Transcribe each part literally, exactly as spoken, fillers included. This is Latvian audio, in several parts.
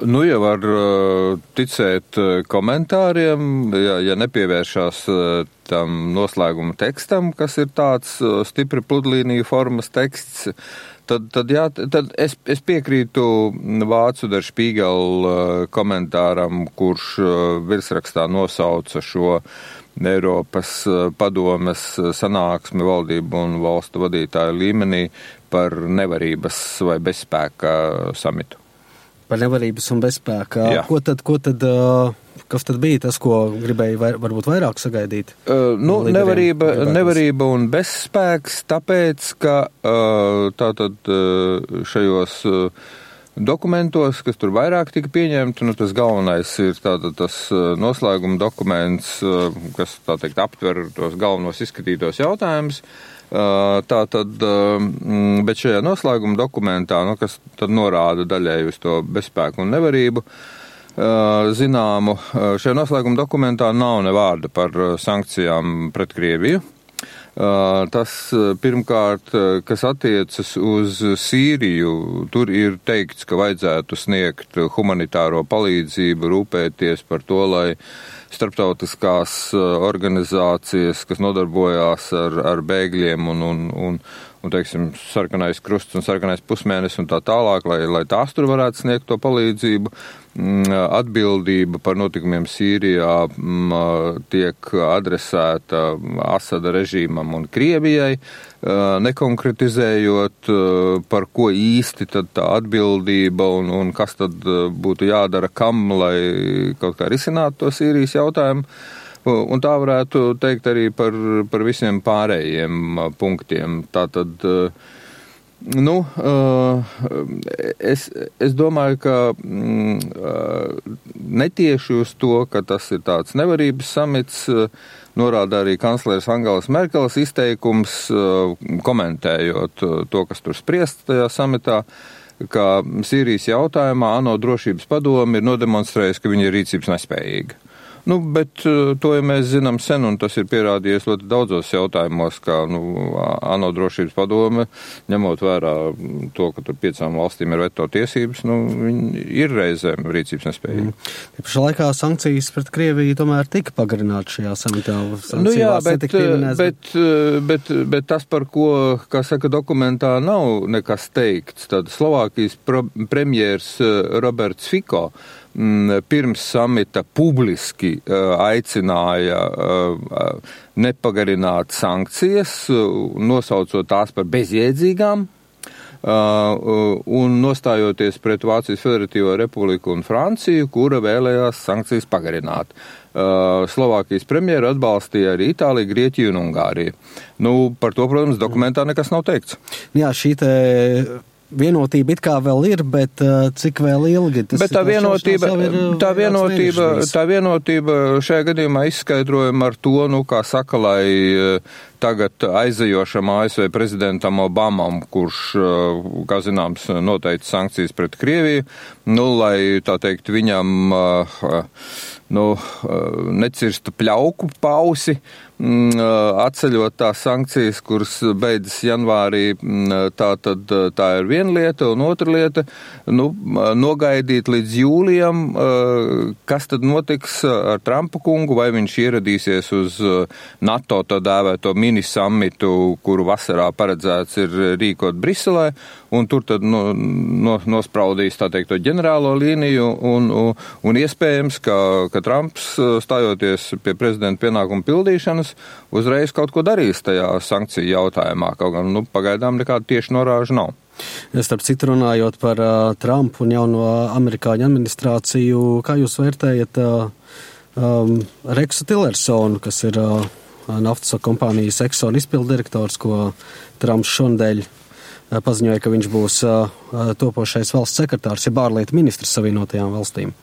Nu, jau var ticēt komentāriem, ja, ja nepievēršās tam noslēguma tekstam, kas ir tāds stipri pludlīniju formas teksts, tad, tad, jā, tad es, es piekrītu vācu Der Spiegel komentāram, kurš virsrakstā nosauca šo Eiropas padomes sanāksmi valdību un valstu vadītāju līmenī par nevarības vai bezspēka samitu. Par nevarības un bezspēka. Ko tad, ko tad, kas tad bija tas, ko gribēja vai, varbūt vairāk sagaidīt? Uh, nu, nevarība, nevarība un bezspēks, tāpēc, ka uh, tātad šajos dokumentos, kas tur vairāk tika pieņemti, nu, tas galvenais ir tātad tas noslēguma dokuments, kas, tā teikt, aptver tos galvenos izskatītos jautājumus. Tā tad, bet šajā noslēguma dokumentā, nu, kas tad norāda daļēji uz to bezspēku un nevarību, zināmu, šajā noslēguma dokumentā nav ne vārda par sankcijām pret Krieviju. Tas pirmkārt, kas attiecas uz Sīriju, tur ir teikts, ka vajadzētu sniegt humanitāro palīdzību, rūpēties par to, lai starptautiskās organizācijas, kas nodarbojās ar, ar bēgļiem un, un, un, un, teiksim, sarkanais krusts un sarkanais pusmēnesis un tā tālāk, lai, lai tās tur varētu sniegt to palīdzību. Atbildība par notikumiem Sīrijā tiek adresēta Asada režīmam un Krievijai, nekonkretizējot, par ko īsti tad tā atbildība un, un kas tad būtu jādara kam, lai kaut kā risinātu to Sīrijas jautājumu. Un tā varētu teikt arī par, par visiem pārējiem punktiem. Tātad, nu, es, es domāju, ka netieši uz to, ka tas ir tāds nevarības samits, norāda arī kancleres Angelas Merkeles izteikums, komentējot to, kas tur spriest tajā samitā, ka Sīrijas jautājumā ANO drošības padome ir nodemonstrējusi, ka viņa ir rīcības nespējīga. Nu, bet to, ja mēs zinām sen, un tas ir pierādījies ļoti daudzos jautājumos, kā, nu, ANO drošības padome, ņemot vērā to, ka tur piecām valstīm ir veto tiesības, nu, viņi ir reizēm rīcības nespējīgi. Mm. Pašā laikā sankcijas pret Krieviju tomēr tika pagarināti šajā samitā. Nu jā, bet, bet, bet, bet tas, par ko, kā saka, dokumentā nav nekas teikts, tad Slovākijas premjers Roberts Fico pirms samita publiski aicināja nepagarināt sankcijas, nosaucot tās par bezjēdzīgām un nostājoties pret Vācijas Federatīvo Republiku un Franciju, kura vēlējās sankcijas pagarināt. Slovākijas premjeru atbalstīja arī Itālija, Grieķija un Ungārija. Nu, par to, protams, dokumentā nekas nav teikts. Jā, šī te vienotība it kā vēl ir, bet uh, cik vēl ilgi? Tas bet tā vienotība, ir, tā, vienotība, tā vienotība šajā gadījumā izskaidrojama ar to, nu, kā saka, lai uh, tagad aizejošam A S V prezidentam Obamam, kurš, uh, kā zināms, noteica sankcijas pret Krieviju, nu, lai, tā teikt, viņam uh, nu, uh, necirsta pļauku pausi, atceļot tās sankcijas, kuras beidzas janvārī, tā tad tā ir viena lieta, un otra lieta, nu, nogaidīt līdz jūlijam, kas tad notiks ar Trumpa kungu, vai viņš ieradīsies uz NATO tā dēvēto minisamitu, kuru vasarā paredzēts ir rīkot Briselē, un tur tad no, no, nospraudīs, tā teikt, to ģenerālo līniju, un, un, un iespējams, ka, ka Trumps, stājoties pie prezidenta pienākumu pildīšanas, uzreiz kaut ko darīs tajā sankciju jautājumā, kaut gan, nu, pagaidām nekāda tieši norāža nav. Starp citu, runājot par uh, Trumpu un jauno amerikāņu administrāciju, kā jūs vērtējat uh, um, Reksu Tillersonu, kas ir uh, naftas kompānijas Exxon izpilddirektors, ko Trumps šonadēļ uh, paziņoja, ka viņš būs uh, topošais valsts sekretārs, ja ārlietu ministrs Savienotajām valstīm?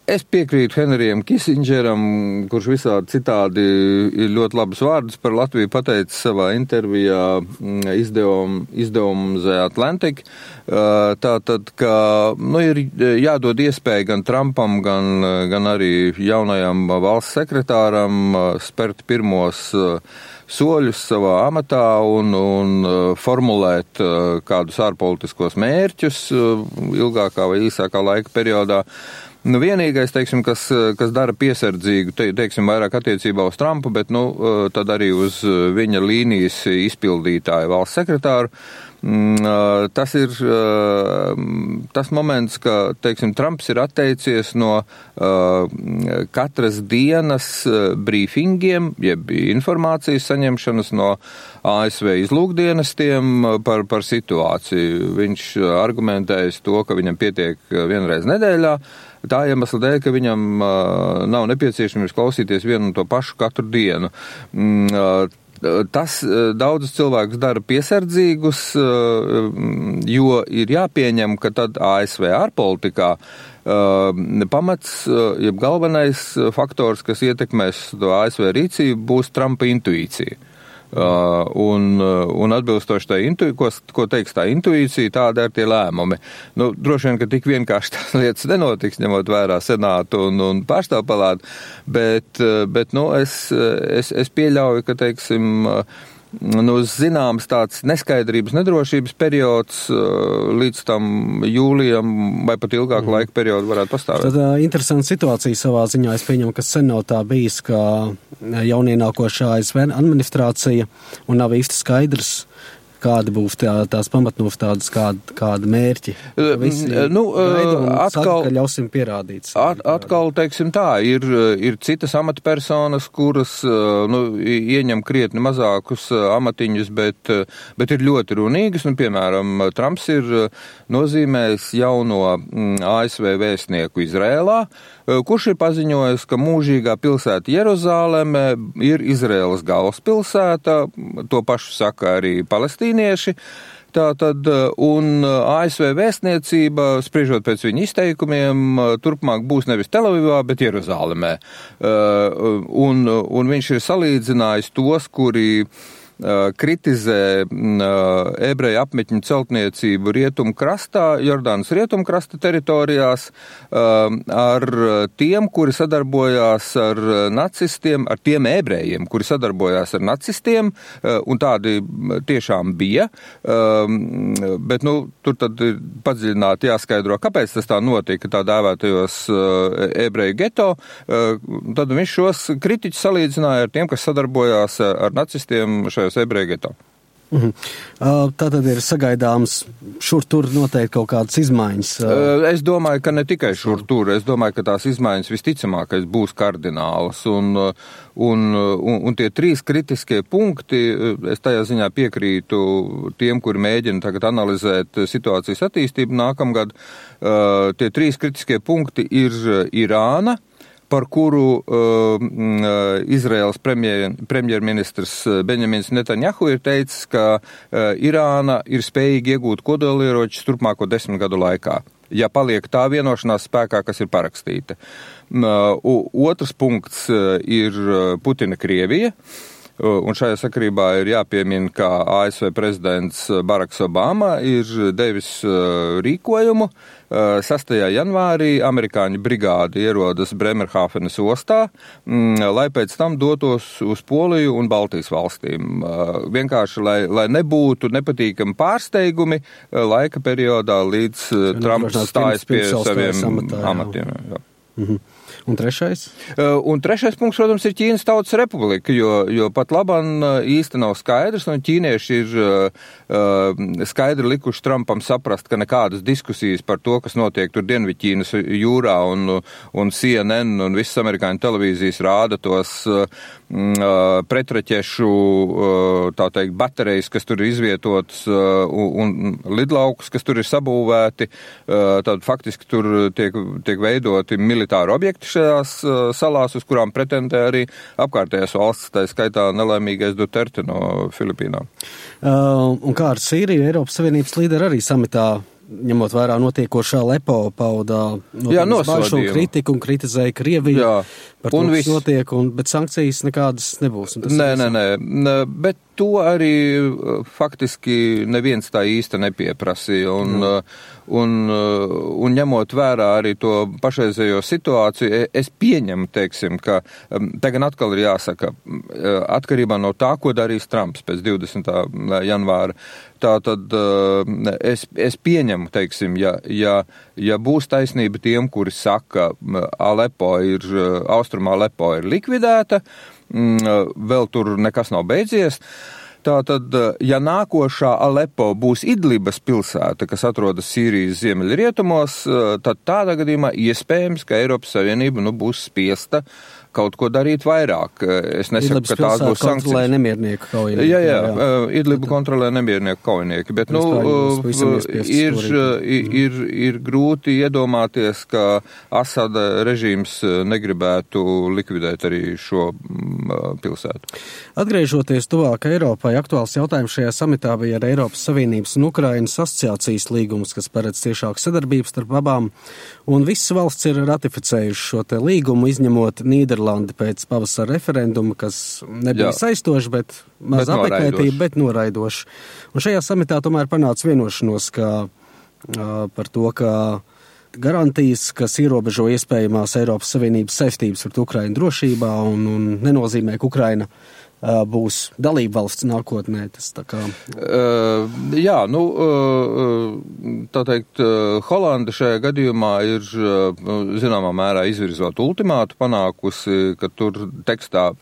Es piekrītu Henrijam Kisindžeram, kurš visādi citādi ir ļoti labus vārdus par Latviju pateicis savā intervijā izdevum, izdevumu The Atlantic. Tātad, ka, nu, ir jādod iespēja gan Trumpam, gan, gan arī jaunajam valsts sekretāram spērt pirmos soļus savā amatā un, un formulēt kādus ārpolitiskos mērķus ilgākā vai īsākā laika periodā. Nu, vienīgais, teiksim, kas, kas dara piesardzīgu, te, teiksim, vairāk attiecībā uz Trumpu, bet, nu, tad arī uz viņa līnijas izpildītāju valsts sekretāru, tas ir tas moments, ka, teiksim, Trumps ir atteicies no katras dienas brīfingiem, jeb informācijas saņemšanas no A S V izlūkdienestiem par, par situāciju. Viņš argumentējas to, ka viņam pietiek vienreiz nedēļā, tā iemesla dēļ, ka viņam uh, nav nepieciešams klausīties vienu un to pašu katru dienu. Mm, uh, tas uh, daudzus cilvēkus dara piesardzīgus, uh, jo ir jāpieņem, ka tad A S V ārpolitikā uh, pamats, uh, jeb galvenais faktors, kas ietekmēs to A S V rīcību, būs Trumpa intuīcija. Uh, un, un atbilstoši tā intuīcija, ko, ko teiks tā intuīcija, tāda ir tie lēmumi. Nu, droši vien, ka tik vienkārši tās lietas nenotiks, ņemot vērā senātu un, un pārstāvpalātu, bet, bet nu, es, es, es pieļauju, ka, teiksim, nu, zināms tāds neskaidrības, nedrošības periods līdz tam jūlijam vai pat ilgāku mm. laika periodu varētu pastāvēt. Tad uh, interesanta situācija savā ziņā. Es pieņemu, ka sen nav tā bijis, ka jaunienākošā A S V administrācija un nav īsti skaidrs, kādi būs tā, tās pamatnostādes, kāda, kāda mērķi. Visi nu, atkal, saka, ka ļausim pierādīt. At, atkal, teiksim tā, ir, ir citas amatpersonas, kuras nu, ieņem krietni mazākus amatiņus, bet, bet ir ļoti runīgas. Nu, piemēram, Trumps ir nozīmējis jauno A S V vēstnieku Izrēlā, kurš ir paziņojis, ka mūžīgā pilsēta Jeruzāleme ir Izraēlas galvaspilsēta, to pašu saka arī palestīnieši. Tātad, un A S V vēstniecība, spriežot pēc viņa izteikumiem, turpmāk būs nevis Telavivā, bet Jeruzālemē. Un, un viņš ir salīdzinājis tos, kuri kritizē ebreju apmetņu celtniecību rietumkrastā, Jordānas rietumkrasta teritorijās, ar tiem, kuri sadarbojās ar nacistiem, ar tiem ebrejiem, kuri sadarbojās ar nacistiem, un tādi tiešām bija, bet, nu, tur tad ir padziļināti jāskaidro, kāpēc tas tā notika, tā dēvētajos ebreju geto, tad viņš šos kritiķus salīdzināja ar tiem, kas sadarbojās ar nacistiem šajā ebreju geto. Mhm. Tā tad ir sagaidāms šur tur noteikti kaut kādas izmaiņas. Es domāju, ka ne tikai šur tur, es domāju, ka tās izmaiņas visticamākais būs kardinālas. Un, un, un, un tie trīs kritiskie punkti, es tajā ziņā piekrītu tiem, kuri mēģina tagad analizēt situācijas attīstību nākamgad. Tie trīs kritiskie punkti ir Irāna, par kuru uh, Izraēlas premjer, premjerministrs Benjamins Netanjahu ir teicis, ka uh, Irāna ir spējīga iegūt kodolieročus turpmāko desmit gadu laikā, ja paliek tā vienošanās spēkā, kas ir parakstīta. Uh, otrs punkts uh, ir Putina Krievija. Un šajā sakarībā ir jāpiemina, ka A S V prezidents Baraks Obama ir devis rīkojumu. sastajā janvārī amerikāņu brigāde ierodas Bremerhāfenes ostā, lai pēc tam dotos uz Poliju un Baltijas valstīm. Vienkārši, lai, lai nebūtu nepatīkami pārsteigumi laika periodā, līdz Trumps stājas pie saviem amatiem. Jā. Mhm. Un trešais? Uh, un trešais punkts, protams, ir Ķīnas Tautas Republika, jo, jo pat labam īsti nav skaidrs, un ķīnieši ir uh, skaidri likuši Trumpam saprast, ka nekādas diskusijas par to, kas notiek tur Dienvidķīnas jūrā, un, un C N N un visas amerikāņu televīzijas rāda tos uh, pretraķešu, uh, tā teikt, baterijas, kas tur ir izvietotas, uh, un lidlaukus, kas tur ir sabūvēti, uh, tad faktiski tur tiek, tiek veidoti militāri objekti šajās uh, salās, uz kurām pretendē arī apkārtējās valsts, tā skaitā nelaimīgais Duterte no Filipīnām. Uh, un kā ar Sīriju, Eiropas Savienības līderi arī samitā, ņemot vērā notiekošā Lepo, paudā bažu un kritiku un kritizēja Krieviju. Jā, par to, kas notiek, un, bet sankcijas nekādas nebūs. Un tas nē, nē, nē, bet to arī faktiski neviens tā īsti nepieprasīja. Un, mm. un, un ņemot vērā arī to pašreizējo situāciju, es pieņemu, teiksim, ka tagad atkal ir jāsaka, atkarībā no tā, ko darīs Trumps pēc divdesmitā janvāra. Tātad es, es pieņemu, teiksim, ja, ja, ja būs taisnība tiem, kuri saka, Alepo ir, Austrumā Alepo ir likvidēta, vēl tur nekas nav beidzies. Tātad, ja nākošā Alepo būs Idlibas pilsēta, kas atrodas Sīrijas ziemeļrietumos, tad tādā gadījumā iespējams, ka Eiropas Savienība nu, būs spiesta kaut ko darīt vairāk. Es nesaku, Idlibas ka tās būs sankcijas. Kontrolē nemiernieku kaujinieki. Jā, jā, jā. Idlibu kontrolē nemiernieku kaujinieki, bet, nu, ir, ir, ir grūti iedomāties, ka Asada režīms negribētu likvidēt arī šo pilsētu. Atgriežoties tuvāk Eiropai, aktuāls jautājums šajā samitā bija ar Eiropas Savienības un Ukrainas asociācijas līgumus, kas paredz ciešāku sadarbību starp abām, un visas valsts ir ratificējuši šo te līgumu, izņemot Nīderlandi pēc pavasara referenduma, kas nebija Jā. saistoši, bet maz apmeklētība, bet noraidoši. Un šajā samitā tomēr panāca vienošanos, ka, uh, par to, ka garantijas, kas ierobežo iespējamās Eiropas Savienības saistības pret Ukrainu drošībā un, un nenozīmē, ka Ukraina uh, būs dalība valsts nākotnē. Tas tā kā... Uh, jā, nu, uh, tā teikt, uh, Holanda šajā gadījumā ir, uh, zināmā mērā, izvirzot ultimātu panākusi, ka tur tekstā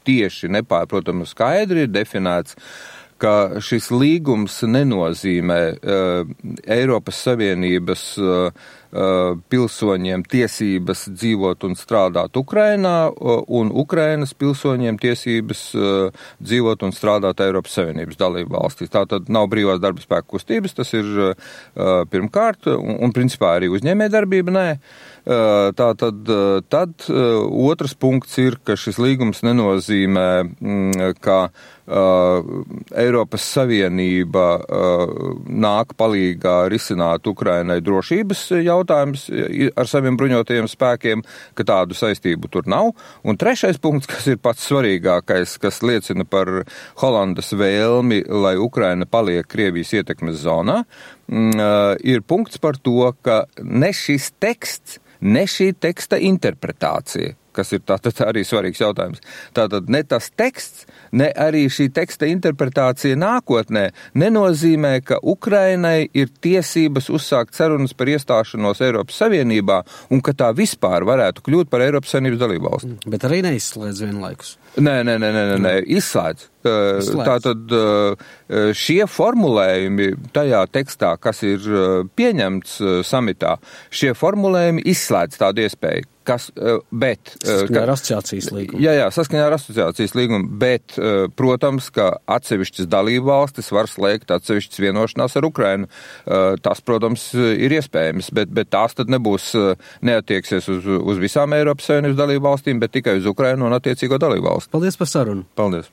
tieši nepārprotami skaidri ir definēts, ka šis līgums nenozīmē uh, Eiropas Savienības uh, uh, pilsoņiem tiesības dzīvot un strādāt Ukrainā uh, un Ukrainas pilsoņiem tiesības uh, dzīvot un strādāt Eiropas Savienības dalību valstīs. Tā tad nav brīvās darba spēka kustības, tas ir uh, pirmkārt, un, un principā arī uzņēmē darbība, nē. Uh, tā tad, uh, tad uh, otrs punkts ir, ka šis līgums nenozīmē, mm, ka Uh, Eiropas Savienība uh, nāk palīgā risināt Ukrainai drošības jautājumus ar saviem bruņotajiem spēkiem, ka tādu saistību tur nav. Un trešais punkts, kas ir pats svarīgākais, kas liecina par Holandas vēlmi, lai Ukraina paliek Krievijas ietekmes zonā, uh, ir punkts par to, ka ne šis teksts, ne šī teksta interpretācija, kas ir tātad arī svarīgs jautājums. Tātad ne tas teksts, ne arī šī teksta interpretācija nākotnē nenozīmē, ka Ukrainai ir tiesības uzsākt sarunas par iestāšanos Eiropas Savienībā un ka tā vispār varētu kļūt par Eiropas Savienības dalību valsti. Bet arī neizslēdz vienlaikus. Nē, nē, nē, nē, nē, izslēdz. Izslēdz. Tātad šie formulējumi tajā tekstā, kas ir pieņemts samitā, šie formulējumi izslēdz tādu iespēju. Kas, bet, saskaņā ar asociācijas līgumu. Jā, jā, saskaņā ar asociācijas līgumu, bet, protams, ka atsevišķas dalību valstis var slēgt atsevišķas vienošanās ar Ukrainu. Tas, protams, ir iespējams, bet, bet tās tad nebūs, neatieksies uz, uz visām Eiropas Savienības dalību valstīm, bet tikai uz Ukrainu un attiecīgo dalību valsti. Paldies par sarunu. Paldies.